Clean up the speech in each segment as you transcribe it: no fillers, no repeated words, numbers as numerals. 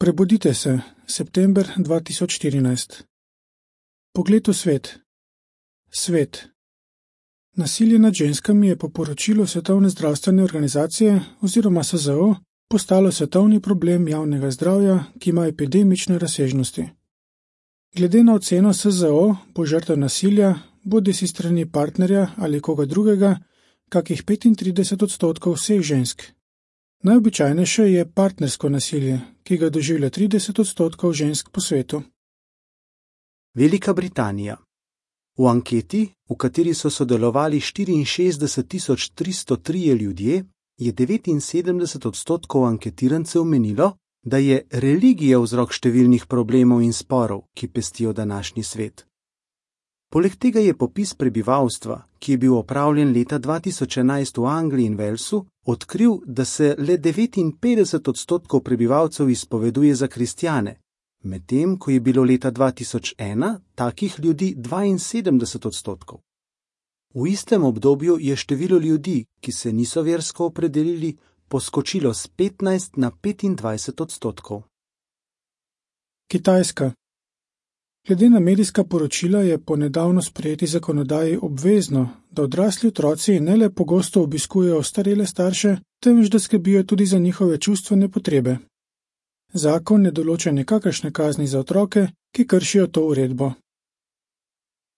Prebudite se, september 2014. Pogled v svet. Svet. Nasilje nad ženskami je po poročilu Svetovne zdravstvene organizacije oziroma SZO postalo svetovni problem javnega zdravja, ki ima epidemične razsežnosti. Glede na oceno SZO bo žrtev nasilja, bodisi strani partnerja ali koga drugega, kakih 35% vseh žensk. Najobičajnejše je partnersko nasilje, ki ga doživlja 30% žensk po svetu. Velika Britanija. V anketi, v kateri so sodelovali 64.303 ljudje, je 79% anketirancev menilo, da je religija vzrok številnih problemov in sporov, ki pestijo današnji svet. Poleg tega je popis prebivalstva, ki je bil opravljen leta 2011 v Angliji in Walesu, odkril, da se le 59% prebivalcev izpoveduje za kristjane, medtem ko je bilo leta 2001 takih ljudi 72%. V istem obdobju je število ljudi, ki se niso versko opredelili, poskočilo s 15 na 25%. Kitajska. Glede na medijska poročila je po nedavno sprejeti zakonodaji obvezno, da odrasli otroci ne le pogosto obiskujejo ostarele starše, temveč da skrbijo tudi za njihove čustvene potrebe. Zakon ne določa nikakršne kazni za otroke, ki kršijo to uredbo.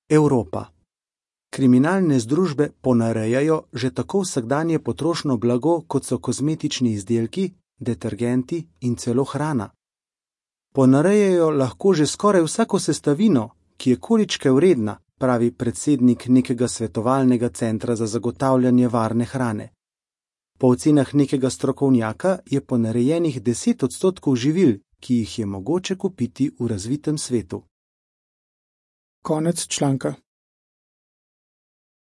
Evropa. Kriminalne združbe ponarejajo že tako vsakdanje potrošno blago, kot so kozmetični izdelki, detergenti in celo hrana. Ponarejajo lahko že skoraj vsako sestavino, ki je količke vredna, pravi predsednik nekega svetovalnega centra za zagotavljanje varne hrane. Po ocenah nekega strokovnjaka je ponarejenih 10% živil, ki jih je mogoče kupiti v razvitem svetu. Konec članka.